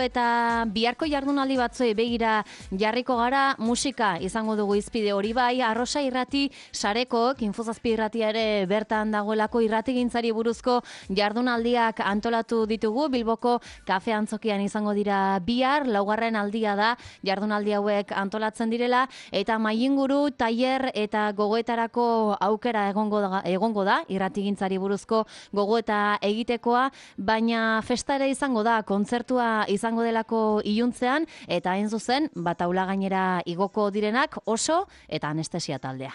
Eta biharko jardunaldi batzuei begira jarriko gara, musika izango dugu izpide hori bai, Arrosa Irrati sarekok, Infozazpi irratia ere bertan dagoelako irratigintzari buruzko jardunaldiak antolatu ditugu, Bilboko kafe antzokian izango dira bihar, laugarren aldia da jardunaldi hauek antolatzen direla, eta mailinguru, tailer eta gogoetarako aukera egongo da irratigintzari buruzko gogoeta egitekoa, baina festa ere izango da, kontzertua izango delako iluntzean, eta hain zuzen, taula gainera igoko direnak Oso eta Anestesia taldea.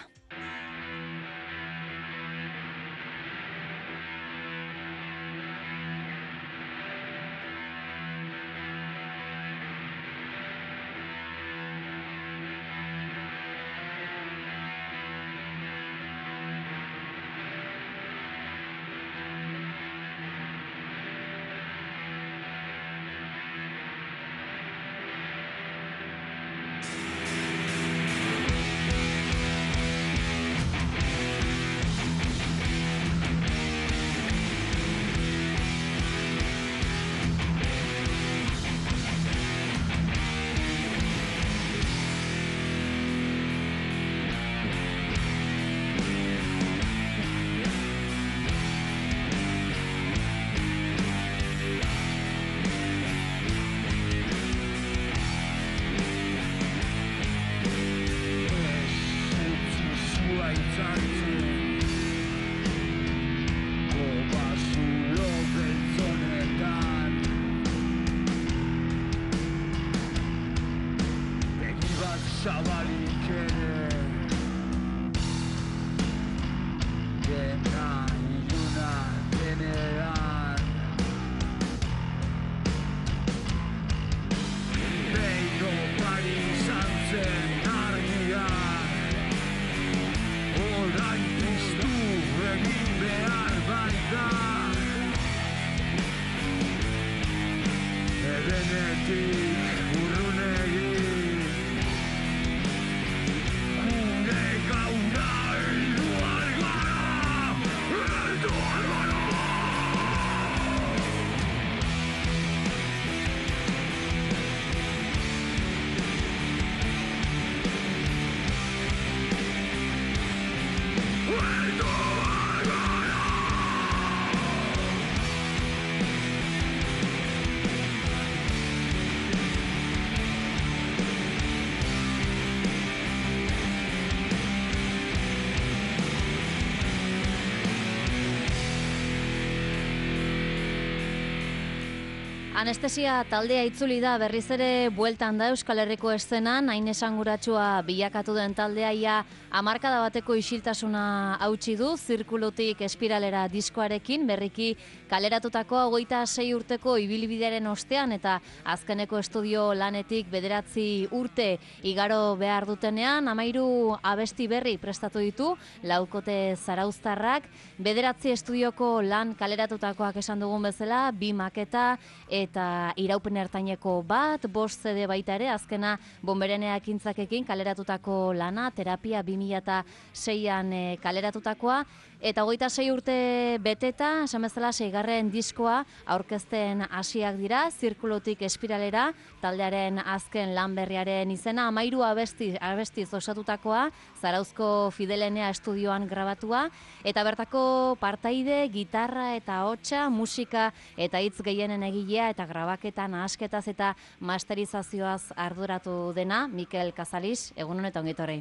Anestesia taldea itzuli da, berriz ere bueltan da Euskal Herriko eszenan, hain esanguratsua bilakatu den taldea ia hamarkada bateko isiltasuna hautsi du, Zirkulutik Espiralera diskoarekin, berriki kaleratutako 26 urteko ibilbidearen ostean eta azkeneko estudio lanetik 9 urte igaro behar dutenean, 13 abesti berri prestatu ditu, laukote zarauztarrak, 9 estudioko lan kaleratutakoak esan dugun bezala, 2 maketa eta iraupen ertaineko bat, 5 CD baita ere, azkena Bonberenea ekintzakekin kaleratutako lana, terapia 2006an kaleratutakoa, eta 26 urte beteta, esan bezala 6. diskoa aurkezten hasiak dira, Zirkulutik Espiralera, taldearen azken lan berriaren izena, 13 abestiz osatutakoa, Zarauzko Fidelenea estudioan grabatua, eta bertako partaide, gitarra eta hotsa, musika eta hitz gehienen egilea eta grabaketan asketaz eta masterizazioaz arduratu dena, Mikel Casalis, egunon eta ongitorri.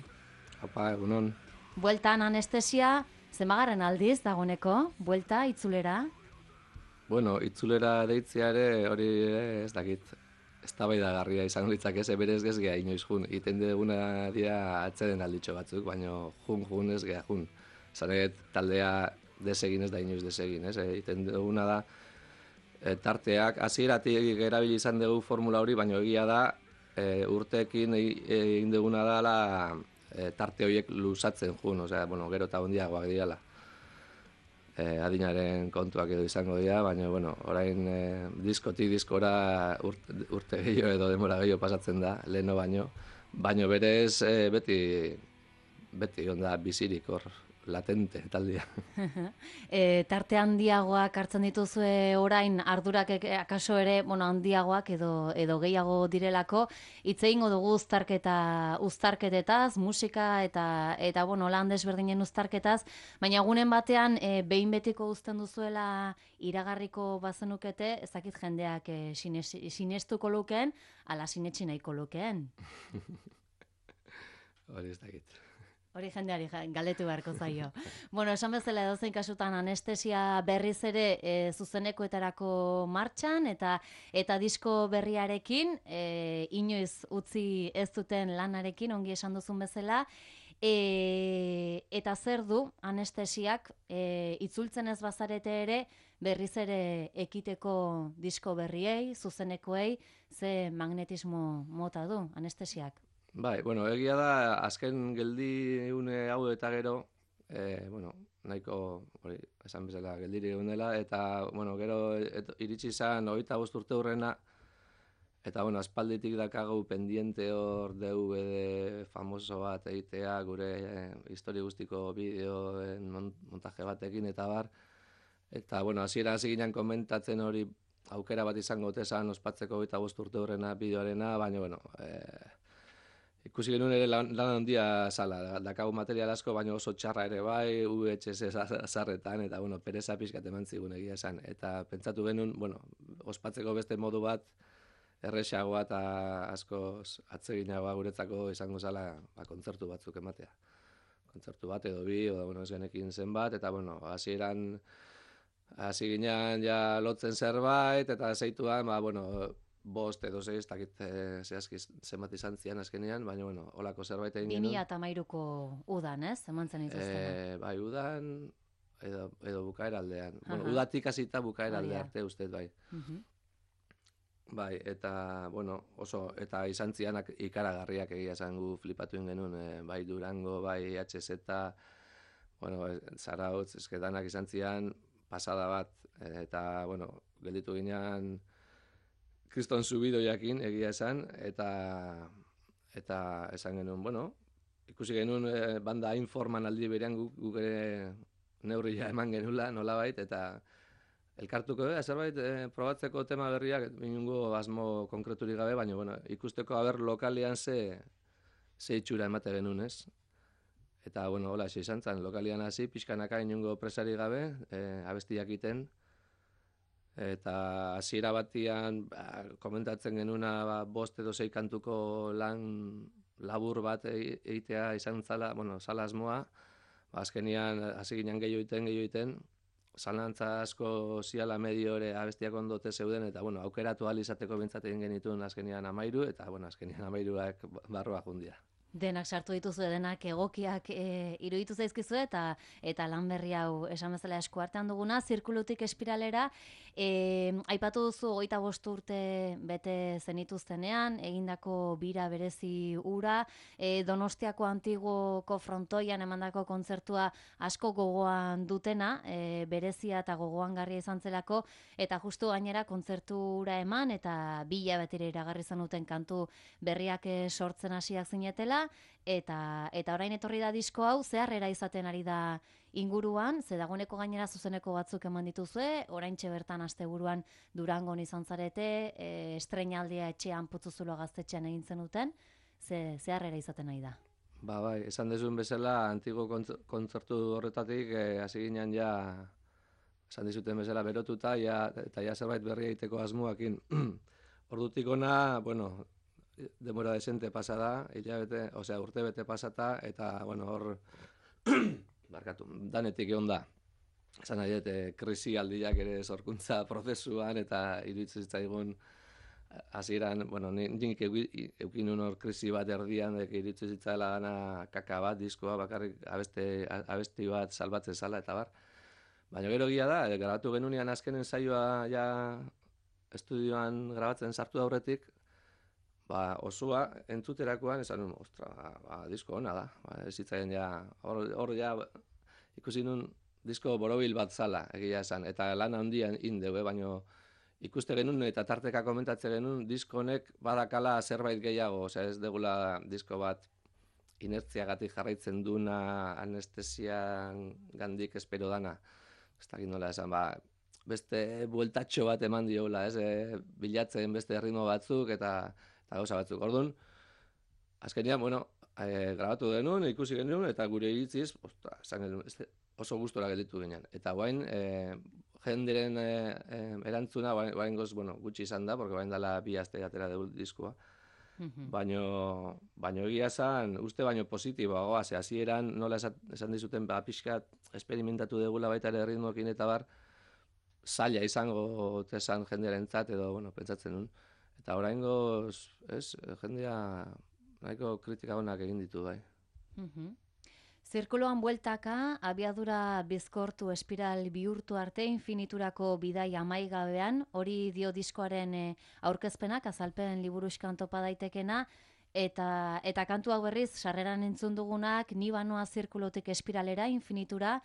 Apa, egunon. Bueltan Anestesia, zenbagarren aldiz dagoneko, buelta, itzulera? Bueno, itzulera deitzea ere, hori ez dakit, eztabaidagarria izango litzake, berez ez geha inoiz jun. Iten duguna dira atzeden alditxo batzuk, baina jun ez geha jun. Zanet taldea desegin ez da inoiz desegin, ez? Iten duguna da, tarteak, hasieratik erabili izan dugu formula hori, baina egia da, urteekin egin duguna dela tarte horiek luzatzen jun, bueno, gero eta hondiagoak direla. Adinaren kontuak edo izango dira, baina, bueno, orain diskotik diskora urte gehiago edo denbora gehiago pasatzen da, leheno baino berez beti onda bizirik hor latente taldea. Tarte handiagoak hartzen dituzue orain ardurak akaso ere, handiagoak edo gehiago direlako, hitz egingo dugu uztarketetaz, musika eta lan desberdinen uztarketaz, baina egunen batean behin betiko uzten duzuela iragarriko bazenukete, ez dakit jendeak sinestuko lukeen, ala sinetsi nahiko lukeen. Hori ez dakit. Hori jendeari galdetu beharko zaio. Esan bezala edozein kasutan anestesia berriz ere zuzenekoetarako martxan eta disko berriarekin, inoiz utzi ez duten lanarekin, ongi esan duzun bezala, eta zer du anestesiak itzultzen ez bazarete ere berriz ere ekiteko disko berriei, zuzenekoei, ze magnetismo mota du anestesiak? Bai, egia da, azken geldi une hau eta gero, nahiko, hori, esan bezala, geldiri egun dela, eta, gero iritsi izan 25 urte hurrena, eta, aspalditik dakagu pendiente hor DVD famoso bat egitea, gure histori guztiko bideoen montaje batekin, eta bar, eta, hasiera hasi ginen komentatzen hori aukera bat izango otesan ospatzeko 25 urte hurrena bideoarena, baina, ikusi genuen ere lan handia zala, dakagu material asko, baina oso txarra ere bai, VHS azarretan, eta, pereza pixkat eman zigun egia esan. Eta pentsatu genuen, ospatzeko beste modu bat, erresagoa eta askoz atseginagoa guretzako izango zala kontzertu batzuk ematea. Kontzertu bat edo bi, ez genekin zenbat, eta, hasieran hasi ginen ja lotzen zerbait, eta zeituan, bost edo zei, ez dakit zehazki zenbat izan zian azkenean, baina, holako zerbait egin genuen. 2013ko udan, ez? Eman zen ituztena. Bai, udan edo bukaera aldean. Udatik hasita bukaera alde arte ustez, bai. Bai, eta, oso, eta izan zianak ikaragarriak egia zangu flipatu genuen, bai Durango, bai HZ, Zarautz, eskedanak izan zian, pasada bat, eta, gelditu ginean, kriston subidoiakin egia esan, eta esan genuen, ikusi genuen banda informan aldi berean guk ere neurria eman genula, nolabait, eta elkartuko zerbait probatzeko tema berriak, inungo asmo konkreturik gabe, baina ikusteko lokalian ze itxura emate genuen, ez? Eta, hola, izan zen, lokalian hasi, pixkanaka inungo presari gabe, abestiak iten, eta hasiera batian komentatzen genuna 5 edo 6 kantuko lan labur bat egitea izan zala, zala asmoa, azkenian hasi ginen gehiago iten, zalantza asko ziala medio ere abestiak ondote zeuden, eta aukeratu ahal izateko bintzat egin genituen azkenian 13, eta azkenian 13ak barroa jundia. Denak sartu dituzu, denak egokiak iruditu zaizkizu eta lan berri hau esan bezala esku artean duguna, zirkulutik espiralera, aipatu duzu 25 urte bete zenituztenean, egindako bira berezi ura, Donostiako Antiguoko frontoian emandako kontzertua asko gogoan dutena, berezia eta gogoangarria izan zelako, eta justu gainera kontzertura eman, eta 2 hilabetera iragarri zenuten kantu berriak sortzen hasiak zinetela, eta orain etorri da disko hau, zeharrera izaten ari da inguruan, ze dagoeneko gainera zuzeneko batzuk eman dituzue, oraintxe bertan asteburuan Durangon izan zarete, estreinaldia etxean Putzuzulo gaztetxean egin zenuten, zeharrera izaten ari da. Bai, esan dezuen bezala, antigo kontzertu horretatik, hasi ginen ja, esan dizuten bezala berotuta, eta ja zerbait berri egiteko asmoakin. Ordutik ona, demora desente pasada, urte bete pasata, eta, hor, danetik egon da. Esan nahi dut, krisi aldiak ere sorkuntza prozesuan, eta iruditzen zitzaigun, hasieran, nik eukin hor krisi bat erdian, iruditzen zitzaila gana kaka bat, diskoa, bakarrik abesti bat salbatzen zala, eta bar. Baina gero egia da, grabatu genunean azkenen saioa ja estudioan grabatzen sartu aurretik, osoa entzuterakoan esan nuen, disko hona da. Ez zitzaien ja, hor ja ikusi nuen disko borobil bat zala, egia esan, eta lan handian indeu, baina ikuste genuen eta tarteka komentatzen genuen disko honek badakala zerbait gehiago, ez degula disko bat inertziagatik jarraitzen duna anestesian gandik espero dana. Ez dakit nola esan, beste bueltatxo bat eman diola, bilatzen beste ritmo batzuk eta gauza batzuk. Orduan, azkenean, grabatu denun, ikusi genuen, eta gure iritziz, oso gustora gelditu ginen. Eta guain, jenderen erantzuna, guain gutxi izan da, porque guain dela 2 aste atera dugu diskoa. Baino egia esan, uste baino positiboagoa, hasieran nola esan dizuten, pixkat esperimentatu degula baita ere ritmoekin eta bar, zaila izango tesan jendearentzat edo, pentsatzen nun. Eta oraingoz, jendea nahiko kritika honak egin ditu bai. Zirkuloan bueltaka, abiadura bizkortu espiral bihurtu arte infiniturako bidai amaigabean, hori dio diskoaren aurkezpenak, azalpen liburuskan topa daitekena, eta kantu hau berriz, sarreran entzun dugunak, ni banoa zirkulotik espiralera, infinitura,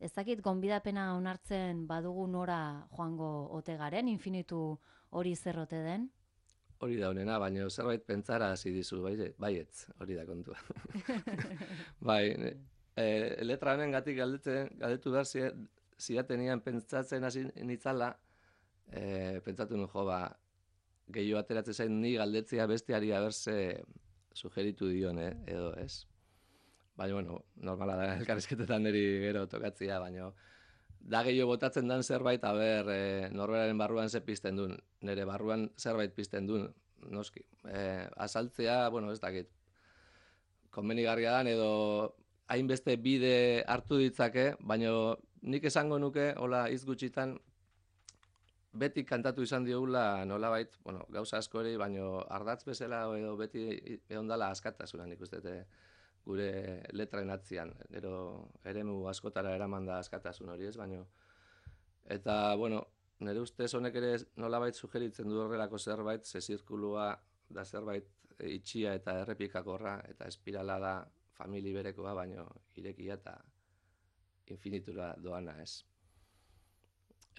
ez dakit gonbidapena onartzen badugu nora joango ote garen, infinitu hori zerrote den? Hori da honena, baina zerbait pentsara hasi dizu, baietz, hori da kontua. Bai, letra honen gatik galdetu behar zidatenian pentsatzen hasi nitzala, pentsatu nuen gehiago ateratzen zain ni galdetzea besteari aberse sugeritu dion, edo ez. Baina, normala da, elkarrizketetan niri gero tokatzea, baina da gehiago botatzen dan zerbait, norberaren barruan ze pizten duen, nire barruan zerbait pizten duen, noski. Azaltzea, ez dakit, konbenigarria dan edo hainbeste bide hartu ditzake, baina nik esango nuke, hola hitz gutxitan, beti kantatu izan diogula nolabait, gauza asko ere, baina ardatz bezala edo beti ehondala askatasuna nik uste gure letraen atzian, gero eremu askotara eraman da askatasun hori ez, baino. Eta, nire ustez honek ere nolabait sugeritzen du horrelako zerbait, ze zirkulua da zerbait itxia eta errepikakorra, eta espirala da famili berekoa, baino irekia eta infinitura doana ez.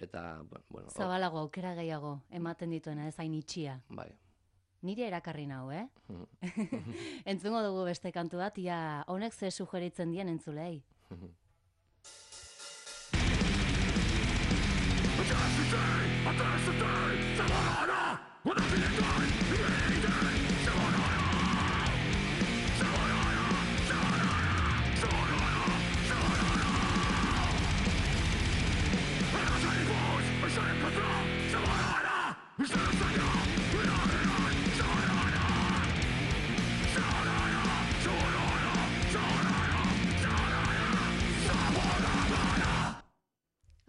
Eta, Zabalago, aukera gehiago, ematen dituena ez hain itxia. Bai. Nire erakarri nau, Entzungo dugu beste kantu bat, ia honek ze sugeritzen dien entzulei.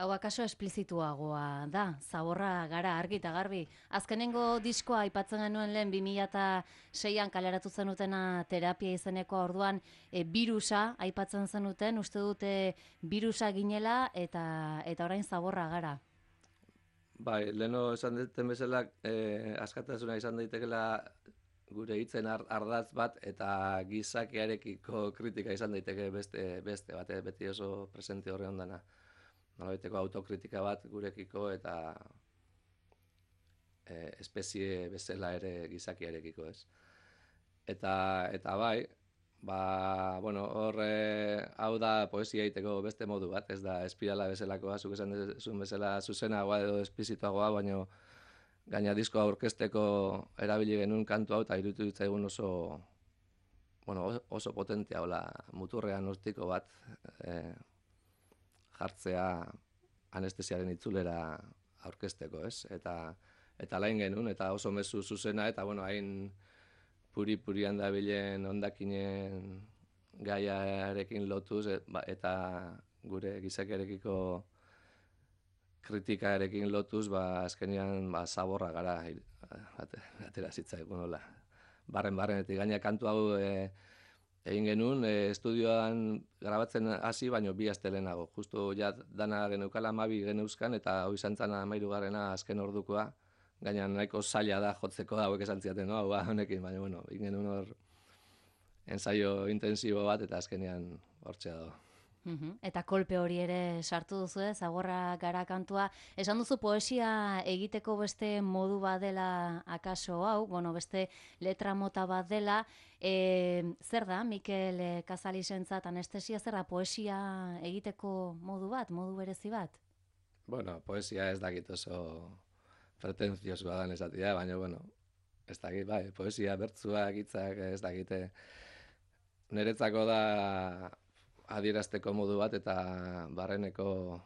Hau akaso esplizituagoa da, zaborra gara argi eta garbi. Azkenengo diskoa aipatzen genuen lehen 2006an kaleratu zenutena terapia izeneko orduan birusa aipatzen zenuten, uste dute birusa ginela eta orain zaborra gara. Bai, leheno esan duten bezala askatasuna izan daitekela gure hitzen ardatz bat eta gizakiarekiko kritika izan daiteke beste bat, beti oso presente horre ondana. Nolabaiteko autokritika bat gurekiko eta espezie bezala ere gizakiarekiko, ez. Eta bai, hau da poesia egiteko beste modu bat, ez da espirala bezalakoa, zuk esan duzun bezala zuzenagoa edo espizituagoa, baina gaina diskoa aurkezteko erabili genuen kantu hau eta iruditu ditzaigun oso potentea, muturrean hortiko bat, jartzea anestesiaren itzulera aurkezteko, ez? Eta lain genuen, eta oso mezu zuzena, eta hain puri-purian dabilen hondakinen gaiarekin lotuz, eta gure gizakiarekiko kritikarekin lotuz, azkenean zaborra gara atera zitzaigun, hola. Barren-barrenetik gaina kantu hau egin genuen, estudioan grabatzen hasi, baino 2 aste lehenago. Justu dana geneukala 12 geneuzkan, eta hoi zantzana 13. azken ordukoa, gaina nahiko zaila da jotzeko hauek esan ziaten, hau honekin, baina egin genuen hor ensaio intensibo bat, eta azkenean hortzea dago. Eta kolpe hori ere sartu duzu, Zagorra gara kantua. Esan duzu poesia egiteko beste modu bat dela akaso hau, bueno, beste letra mota bat dela. Zer da, Mikel Kazalisentzat anestesia, zer da poesia egiteko modu bat, modu berezi bat? Bueno, poesia ez dakit oso pretentziosoa dan esatia, baina, bueno, ez dakit, bai, poesia, bertzuak, hitzak, ez dakite. Niretzako da adierazteko modu bat eta barreneko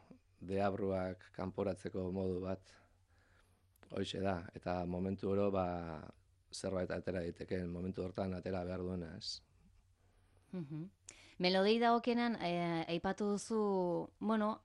deabruak kanporatzeko modu bat hoixe da. Eta momentu oro zerbait atera ditekeen, momentu hortan atera behar duena, ez. Melodei dagokienan, aipatu duzu, bueno,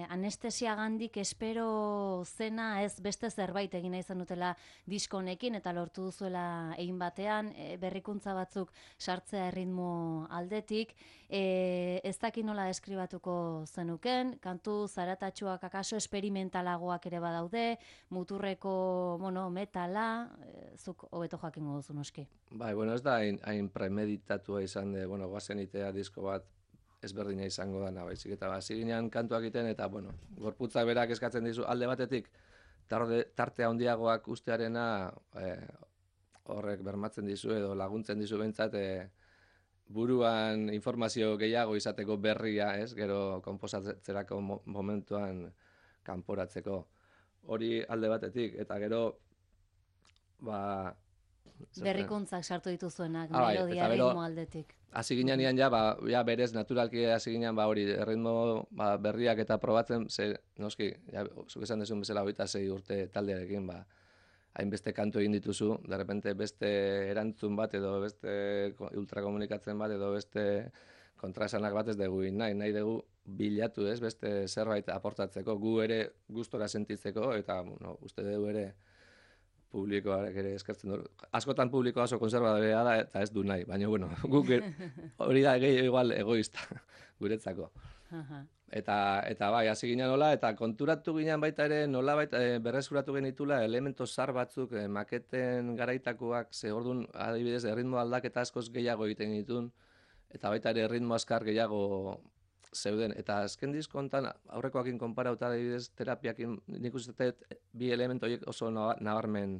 anestesia gandik espero zena ez beste zerbait egin nahi zenutela diskonekin eta lortu duzuela egin batean, berrikuntza batzuk sartzea erritmo aldetik, ez dakit nola deskribatuko zenuken, kantu zaratatsuak akaso esperimentalagoak ere badaude, muturreko, bueno, metala, zuk hobeto jakingo duzu noski. Bai, bueno, ez da hain premeditatua izan de, bueno, guazen itea disko bat ezberdina izango dana, baizik eta hasi ginean kantuak egiten eta, bueno, gorputzak berak eskatzen dizu alde batetik, tarte handiagoak ustearena horrek bermatzen dizu edo laguntzen dizu behintzat buruan informazio gehiago izateko berria, ez, gero konposatzerako momentuan kanporatzeko. Hori alde batetik, eta gero, Berrikuntzak sartu dituzuenak, melodia ritmo aldetik. Hasi ginean ja berez naturalki hasi ginean hori ritmo berriak eta probatzen, noski, zuk esan duzun bezala 26 urte taldearekin, hainbeste kantu egin dituzu, de repente beste erantzun bat edo beste ultrakomunikatzen bat edo beste kontraesanak bat ez dugu nahi dugu bilatu, ez, beste zerbait aportatzeko, gu ere gustora sentitzeko eta uste dugu ere publikoak ere eskertzen dut. Askotan publikoa oso konservadorea da eta ez du nahi, baina bueno, guk hori da igual egoista guretzako. Eta bai, hasi ginen nola, eta konturatu ginen baita ere nola berrezuratu genitula elemento zar batzuk maketen garaitakoak, ze orduan adibidez erritmo aldaketa askoz gehiago egiten ditun, eta baita ere erritmo askar gehiago zeuden, eta azken disko hontan aurrekoakin konparauta adibidez terapiakin nik uste bi elementu horiek oso nabarmen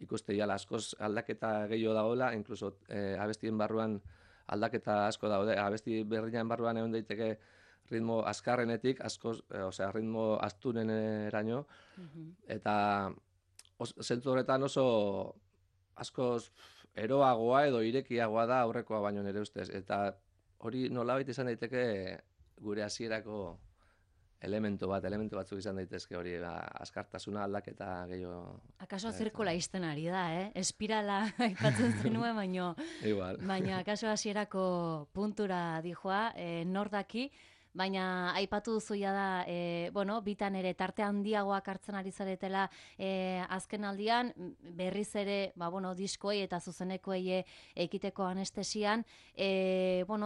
ikuste diala, askoz aldaketa gehiago dagoela, inkluso abestien barruan aldaketa asko daude, abesti berrian barruan egon daiteke ritmo azkarrenetik, askoz, ritmo astuneneraino, eta zentzu horretan oso askoz eroagoa edo irekiagoa da aurrekoa baino nire ustez, eta hori nolabait izan daiteke gure hasierako elementu batzuk izan daitezke hori, azkartasuna aldaketa gehiago. Akaso zirkula izten ari da, espirala aipatzen zenuen, baina akaso hasierako puntura dijoa, nordaki, baina aipatu duzuia da, bitan ere tarte handiagoak hartzen ari zaretela azken aldian, berriz ere, diskoei eta zuzenekoei ekiteko anestesian,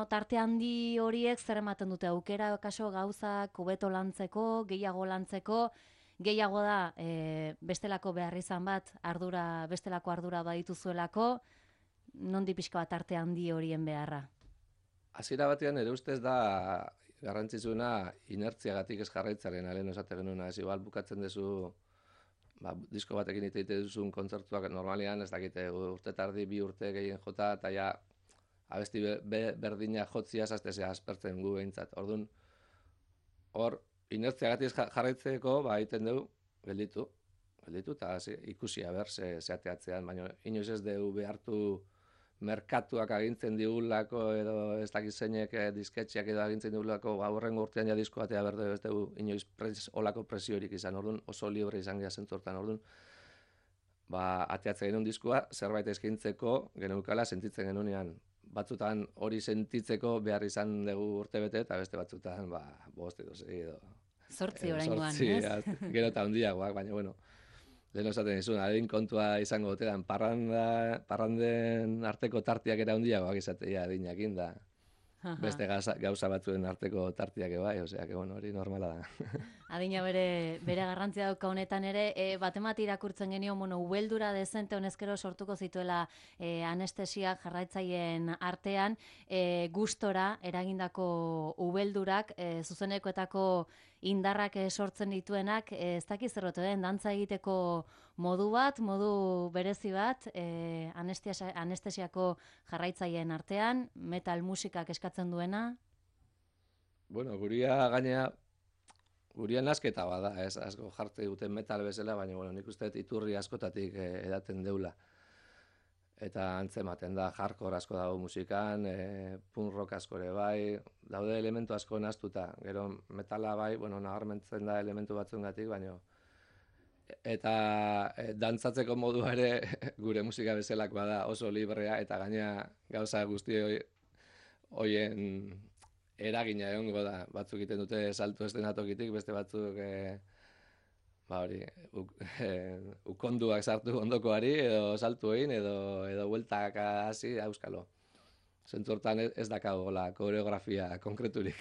tarte handi horiek zer ematen dute, aukera kaso gauzak hobeto lantzeko, gehiago lantzeko, gehiago da bestelako behar izan bat, bestelako ardura badituzuelako, nondi pixka bat tarte handi horien beharra? Hasiera batean ere ustez da garrantzitsuna inertziagatik ez jarraitzaren alen esate genuna, ez igual bukatzen duzu disko batekin ite duzun kontzertuak normalean ez dakite urte tardi 2 urte gehien jota eta ja abesti berdina jotzia zaztezea aspertzen gu behintzat. Orduan, hor inertziagatik jarraitzeko egiten dugu gelditu eta ikusi aber zeateatzean, baina inoiz ez dugu behartu merkatuak agintzen digulako edo ez dakit zeinek disketxeak edo agintzen digulako aurrengo urtean ja disko batea berde ez dugu inoiz olako presiorik izan, orduan oso libre izan gara zentzortan, orduan ateatzen genuen diskoa zerbait eskaintzeko geneukala sentitzen genunean, batzutan hori sentitzeko behar izan dugu urte bete eta beste batzutan 5 edo 6 edo 8 oraingoan, ez? Gero eta handiagoak, baina bueno, lehen esaten dizun, adin kontua izango gotean, parranden arteko tartiak era handiagoak izatea adinakin da. Beste gauza batzuen arteko tartiak bai, osea, que bueno, hori normala da. Adina bere garrantzia dauka honetan ere, batemat irakurtzen genio, ubeldura dezente honezkero sortuko zituela anestesiak jarraitzaileen artean, gustora eragindako ubeldurak, zuzenekoetako indarrak sortzen dituenak, ez dakiz zerrote den, dantza egiteko modu bat, modu berezi bat, anestesiako jarraitzaileen artean, metal musikak eskatzen duena. Bueno, guria nasketa bada, ez asko jarte duten metal bezala, baina bueno, nik uste iturri askotatik edaten deula. Eta antzematen da, hardcore asko dago musikan, punk rock asko ere bai, daude elementu asko nahaztuta. Gero metala bai, bueno, nabarmentzen da elementu batzuengatik, baina eta dantzatzeko modua ere gure musika bezalak bada oso librea, eta gaina gauza guzti hoien eragina egongo da. Batzuk egiten dute salto estenatokitik, beste batzuk ukonduak sartu ondokoari, edo saltu egin, edo bueltak hasi auskalo. Zentzu hortan ez dakau koreografia konkreturik.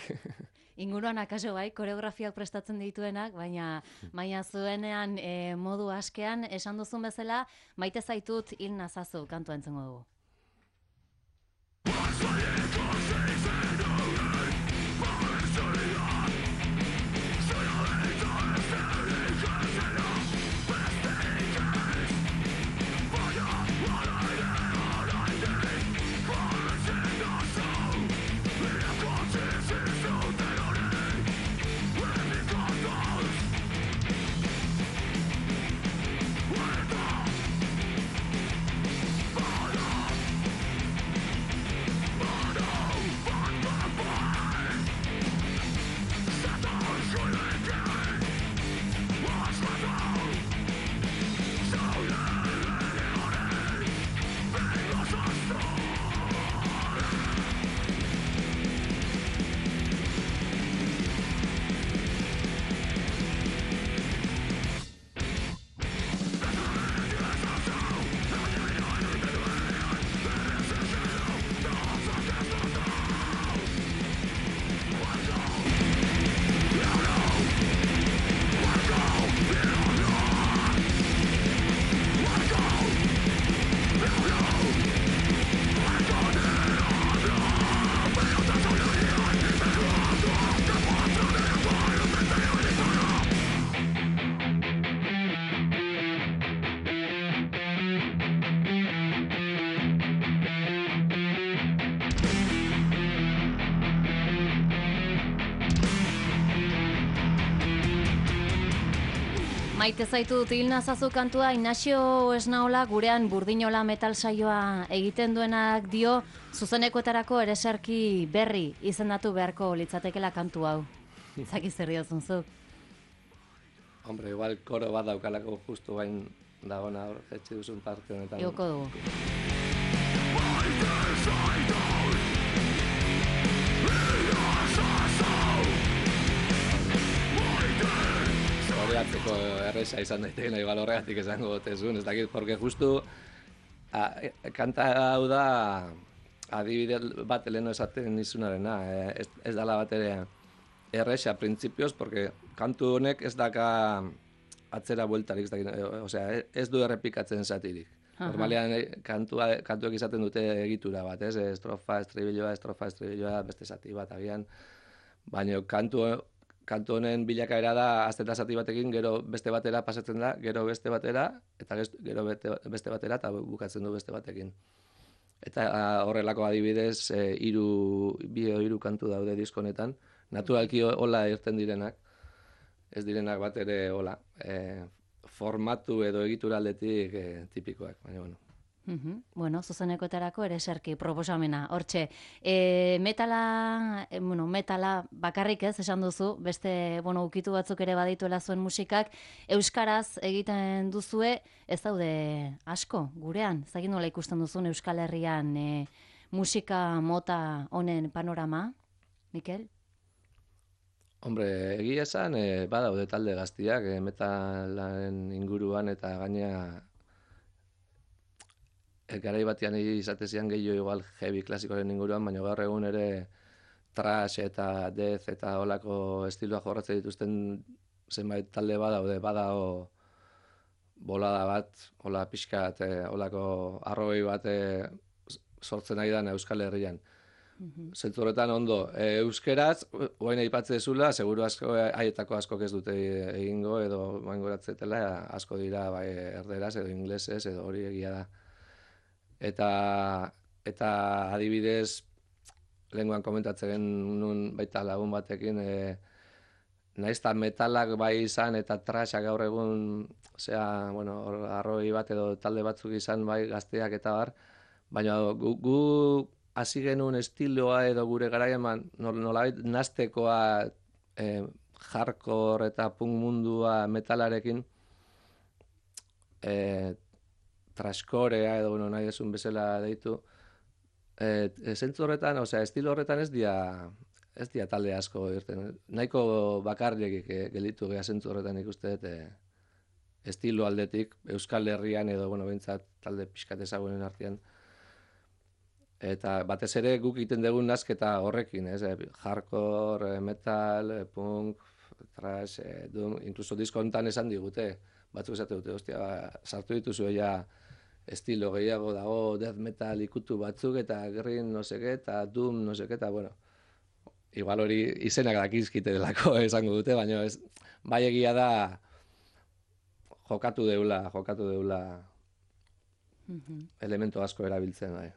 Inguruan akaso bai, koreografiak prestatzen dituenak, baina zuenean modu askean, esan duzun bezala, maite zaitut hil nazazu kantua entzengo dugu. Maite zaitut hil nazazu kantua, Ignacio Esnaola gurean Burdinola metal saioa egiten duenak dio, zuzenekoetarako ereserki berri izendatu beharko litzatekela kantu hau. Zaki zer diozun zuk? Hombre, igual koro bat daukalako justu bain dagona hor, etxe duzun parte honetan. Ioko dugu. Horregatzeko erresa izan daitekena, igual horregatik esango gotezun, ez dakit, porque justu kanta hau da adibide bat leheno esaten izunarena, ez dala bat ere erresa printzipioz, porque kantu honek ez daka atzera bueltarik, ez du errepikatzen zatirik. Normalean kantuek izaten dute egitura bat, ez? Estrofa, estribilloa, beste zati bat agian, baina kantu honen bilakaera da azteta zati batekin, gero beste batera pasatzen da, gero beste batera, eta gero beste batera, eta bukatzen du beste batekin. Eta horrelako adibidez, hiru kantu daude disko honetan, naturalki hola irten direnak, ez direnak bat ere hola, formatu edo egitura aldetik tipikoak, baina bueno. Bueno, zuzenekoetarako ereserki proposamena, hortxe. Metala bakarrik ez, esan duzu, beste, ukitu batzuk ere badituela zuen musikak, euskaraz egiten duzue, ez daude asko, gurean, zagin nola ikusten duzun Euskal Herrian musika mota honen panorama, Mikel? Hombre, egia esan, badaude talde gaztiak, metalaren inguruan eta gaina garai batean izatezian gehiago igual heavy klasikoaren inguruan, baina gaur egun ere thrash eta death eta holako estiloa jorratzen dituzten zenbait talde badago bolada bat, hola pixkat, holako arrogei bat sortzen ari da Euskal Herrian. Zentzu horretan ondo, euskeraz, guain aipatzen dezula, seguru asko, haietako asko ez dute egingo, edo mangoratzetela, asko dira bai erderaz, edo inglesez, edo hori egia da. Eta adibidez, lehenguan komentatzen nun baita lagun batekin, nahiz eta metalak bai izan eta trashak gaur egun, arroi bat edo talde batzuk izan bai gazteak eta bar, baina gu hasi genuen estiloa edo gure garaian nolabait nastekoa hardcore eta punk mundua metalarekin trashcorea edo nahi desun bezala deitu. Zentzu horretan, estilo horretan ez dia talde asko irten. Nahiko bakarrik gelditu geha zentzu horretan ikuste estilo aldetik, Euskal Herrian edo, behintzat talde pixkat ezagunen artean. Eta batez ere guk egiten dugun nasketa horrekin, hardcore, metal, punk, thrash, doom, inkluso disko honetan esan digute, batzuk esate dute, sartu dituzu estilo gehiago dago, death metal ikutu batzuk, eta green noseke, eta doom noseke, eta igual hori izenak dakizkite delako esango dute, baina bai egia da jokatu deula elementu asko erabiltzen, bai.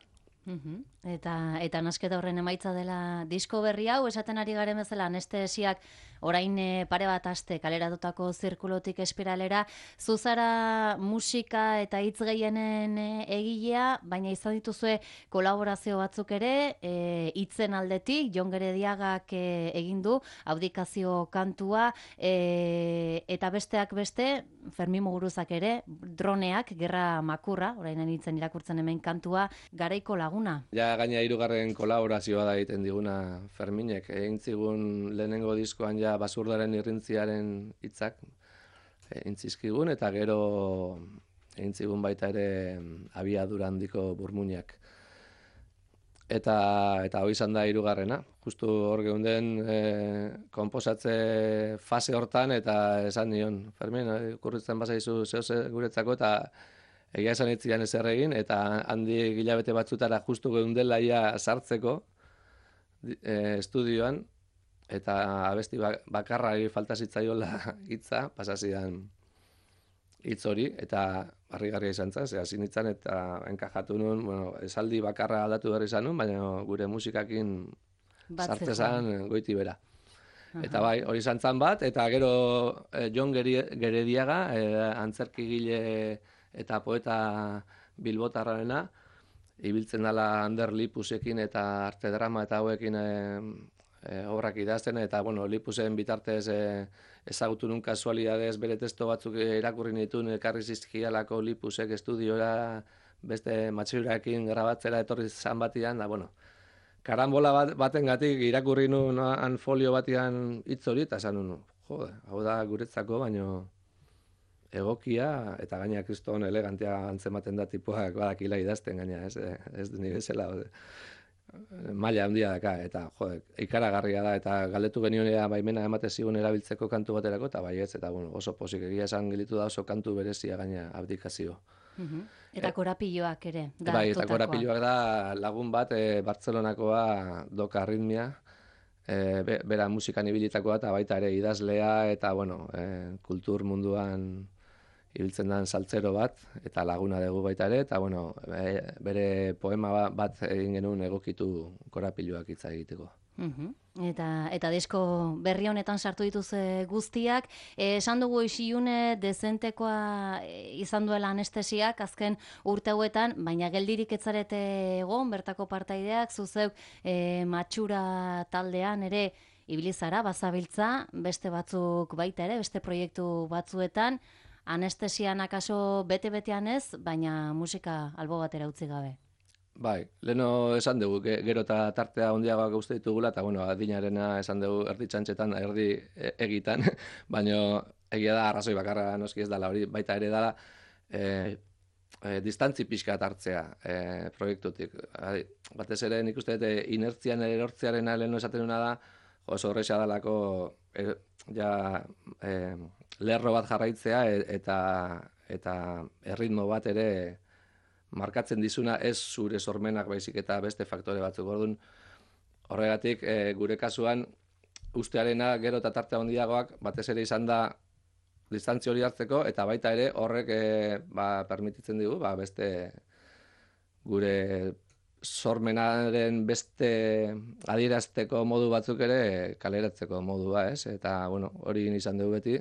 Eta nasketa horren emaitza dela disko berri hau, esaten ari garen bezala anestesiak orain pare bat aste kaleratutako zirkulotik espiralera, zuzara musika eta hitz gehienen egilea, baina izan dituzue kolaborazio batzuk ere, hitzen aldetik, Jon Gerediagak egin du, abdikazio kantua, eta besteak beste, Fermin Muguruzak ere, droneak, gerra makurra, orain hitzen irakurtzen hemen kantua, garaiko laguna. Ja, gaina 3. kolaborazioa da egiten diguna Ferminek. Egin zigun lehenengo diskoan ja basurdaren irrintziaren hitzak egin zizkigun, eta gero egin zigun baita ere abiadura handiko burmuinak. Eta hori izan da 3. Justu hor geunden konposatze fase hortan, eta esan nion, Fermin, kurritzen bazaizu zehose guretzako, eta egia esan itzian ezer egin, eta handi hilabete batzutara justu geundela ia sartzeko estudioan, eta abesti bakarrari falta zitzaiola hitza, pasazidan hitz hori, eta harrigarria izan zen, hasi nintzen eta enkajatu nuen, esaldi bakarra aldatu berri izan nuen, baina gure musikakin sartzezan goiti bera. Eta bai, hori izan zen bat, eta gero Jon Gerediaga, antzerkigile eta poeta bilbotarrarena, ibiltzen dela Ander Lipusekin eta arte drama eta hauekin obrak idazten, eta Lipusen bitartez ezagutu nun kasualidadez bere testo batzuk irakurri nituen, ekarri zizkialako Lipusek estudiora beste matxuraekin grabatzera etorri zan batian, da karambola batengatik irakurri nun folio batian hitz hori, eta esan nun, jode, hau da guretzako, baino egokia, eta gaina kriston elegantea antzematen da tipuak badakila idazten gaina, ez ni bezala, maila handia daka, eta ikaragarria da, eta galdetu genionea baimena emate zigun erabiltzeko kantu baterako, eta baietz, eta oso posik egia esan gelitu da oso kantu berezia gaina abdikazio. Eta korapilloak ere. Bai, eta korapilloak da lagun bat Bartzelonakoa Doka Arritmia, bera musikan ibilitakoa, eta baita ere idazlea, eta kultur munduan ibiltzen den saltzero bat, eta laguna dugu baita ere, eta bere poema bat egin genuen egokitu korapilloak hitza egiteko. Eta disko berri honetan sartu dituz guztiak, esan dugu isilune dezentekoa izan duela anestesiak azken urte hauetan, baina geldirik etzarete egon, bertako partaideak, zuzeuk matxura taldean ere ibilizara, bazabiltza, beste batzuk baita ere, beste proiektu batzuetan, anestesian akaso bete-betean ez, baina musika albo batera utzi gabe. Bai, leheno esan dugu, gero eta tartea hondiagoak uste ditugula, eta adinarena esan dugu erdi txantxetan, erdi egitan, baina egia da arrazoi bakarra noski ez dala, hori baita ere dala distantzi pixka hartzea proiektutik. Batez ere nik uste inertzian erortzearen leheno esaten duna da, oso horreza dalako ja lerro bat jarraitzea eta erritmo bat ere markatzen dizuna ez zure sormenak baizik eta beste faktore batzuk. Orduan, horregatik gure kasuan ustearena gero eta tarte handiagoak batez ere izan da distantzia hori hartzeko eta baita ere horrek permititzen digu beste gure sormenaren beste adierazteko modu batzuk ere kaleratzeko modua, ez? Eta, bueno, hori izan dugu beti.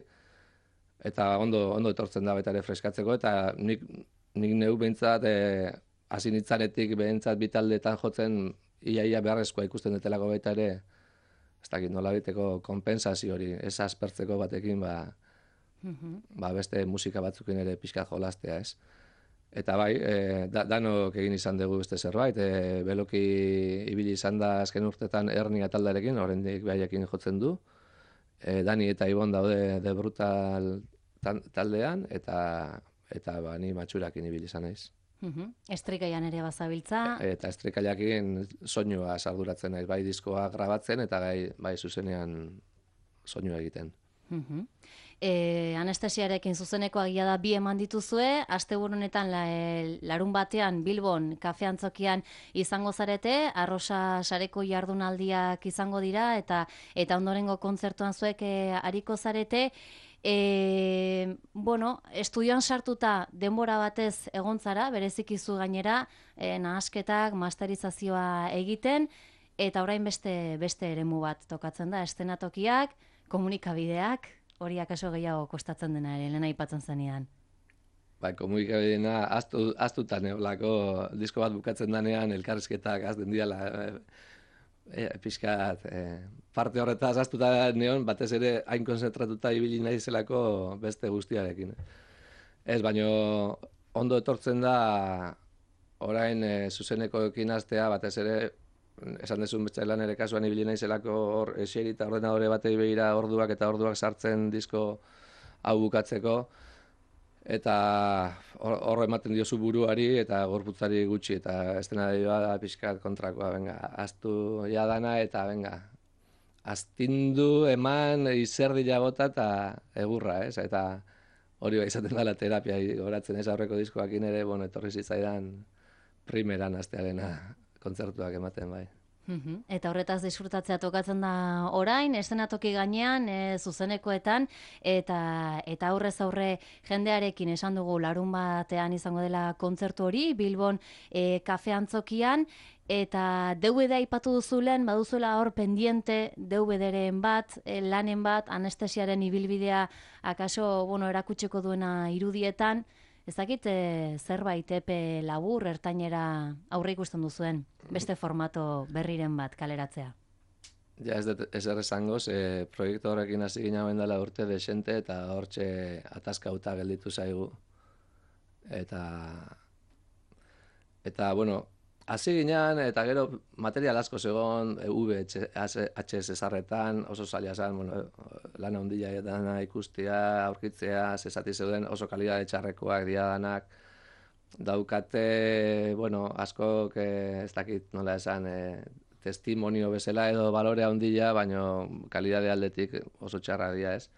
Eta ondo etortzen da baita ere freskatzeko, eta nik neu behintzat, hasi nitzanetik behintzat bitaldeetan jotzen, ia beharrezkoa ikusten detelako baita ere, ez dakit nola biteko kompensazio hori, ez aspertzeko batekin, beste musika batzukin ere pixka jolastea, ez? Eta bai, danok egin izan dugu beste zerbait, beloki ibili izan da azken urtetan Ernia taldearekin, oraindik behaiekin jotzen du. Dani eta Ibon daude The Brutal taldean, eta ni matxurakin ibili izan naiz. Estrikaian ere bazabiltza. Eta estrikaiakin soinua sarduratzen naiz, bai diskoa grabatzen eta bai zuzenean soinua egiten. Anestesiarekin zuzeneko agia da 2 eman dituzue, asteburu honetan larun batean Bilbon kafe antzokian izango zarete, Arrosa sareko jardunaldiak izango dira eta ondorengo kontzertuan zuek ariko zarete. Estudioan sartuta denbora batez egon zara, berezikizu gainera, nahasketak, masterizazioa egiten, eta orain beste eremu bat tokatzen da, eszenatokiak, komunikabideak, hori akaso gehiago kostatzen dena ere, lehen aipatzen zenean. Komunikabideena aztutan eolako disko bat bukatzen danean elkarrizketak azten diala, pixkat parte horretaz aztuta neon, batez ere hain konzentratuta ibili nahi zelako beste guztiarekin. Ez, baino ondo etortzen da orain zuzenekoekin astea, batez ere esan dezun betxailan ere kasuan ibili nahi zelako hor eseri eta ordenadore batei begira orduak sartzen disko hau bukatzeko, eta hor ematen diozu buruari eta gorputzari gutxi, eta eszenarioa da pixkat kontrakoa, aztu jadana eta astindu eman izerdila bota eta egurra, ez? Eta hori izaten dela terapia, goratzen ez aurreko diskoakin ere, etorri zitzaidan primeran astearena kontzertuak ematen, bai. Eta horretaz disfrutatzea tokatzen da orain, eszenatoki gainean, zuzenekoetan, eta aurrez aurre jendearekin esan dugu larun batean izango dela kontzertu hori, Bilbon kafe antzokian, eta DVD aipatu duzulen, baduzuela hor pendiente DVD-ren bat, lanen bat, anestesiaren ibilbidea akaso erakutsiko duena irudietan, ez dakit zerbait epe labur ertainera aurre ikusten duzuen, beste formato berriren bat kaleratzea. Ja, ez errezangoz, proiektu horrekin hasi ginen dela urte desente eta hortxe ataskauta gelditu zaigu. Eta hasi ginen, eta gero material asko zegoen, VHS ezarretan, oso zaila zen, lan handia dana ikustea, aurkitzea, zezati zeuden oso kalidade txarrekoak diadanak, daukate, askok, ez dakit nola esan, testimonio bezala edo balore handia, baina kalidade aldetik oso txarra dira, ez?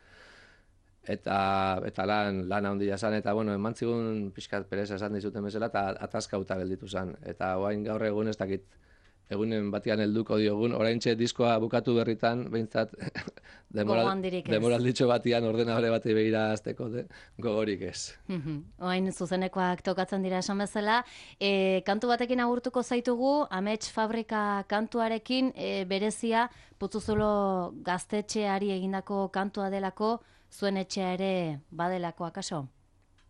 Eta lan handia zen, eta eman zigun pixkat pereza esan dizuten bezala, eta ataskauta gelditu zen. Eta oain gaur egun ez dakit, egunen batian helduko diogun, oraintxe diskoa bukatu berritan, behintzat demoralditxo batian ordenadore bati begira azteko gogorik ez. Oain zuzenekoak tokatzen dira esan bezala, kantu batekin agurtuko zaitugu, Amets Fabrika kantuarekin, berezia, Putzuzulo gaztetxeari egindako kantua delako, zuen etxea ere badelako akaso?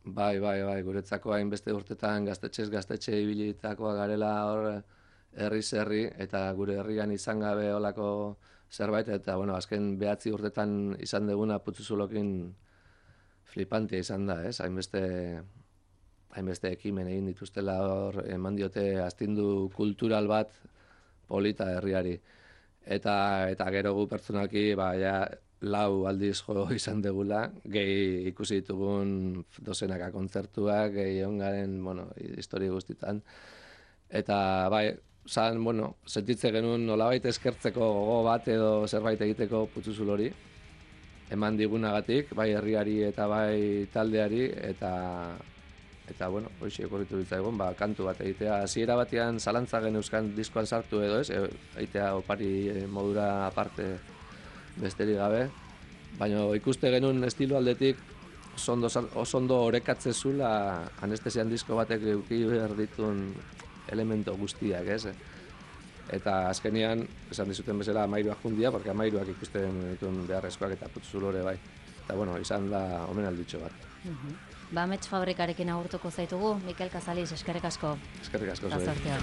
Bai, guretzako hainbeste urtetan gaztetxe ibilitakoa garela hor herriz herri, eta gure herrian izan gabe olako zerbait, eta azken 9 urtetan izan deguna Putzuzulokin flipantia izan da, ez? Hainbeste ekimen egin dituztela hor, eman diote astindu kultural bat polita herriari. Eta gero gu pertsonalki, 4 aldiz jo izan degula, gehi ikusi ditugun dozenaka kontzertuak, gehi ongaren, histori guztitan. Eta sentitze genuen nolabait eskertzeko gogo bat edo zerbait egiteko Putzuzulori. eman digunagatik, bai herriari eta bai taldeari, eta bueno, hoxe okurritu ditzaigun, kantu bat egitea. Hasiera batean zalantza geneuzkan diskoan sartu edo ez, egitea opari modura aparte besterik gabe, baina ikuste genuen estilo aldetik oso ondo orekatze zula anestesian disko batek eduki behar ditun elemento guztiak, ez? Eta azkenean, esan dizuten bezala, amairuak jundia, porque amairuak ikusten dituen beharrezkoak eta putzulore bai. Eta bueno, izan da omenalditxo bat. Amets fabrikarekin agurtuko zaitugu, Mikel Kazaliz, eskerrik asko. Eskerrik asko zuei. zuei. Eta sortean.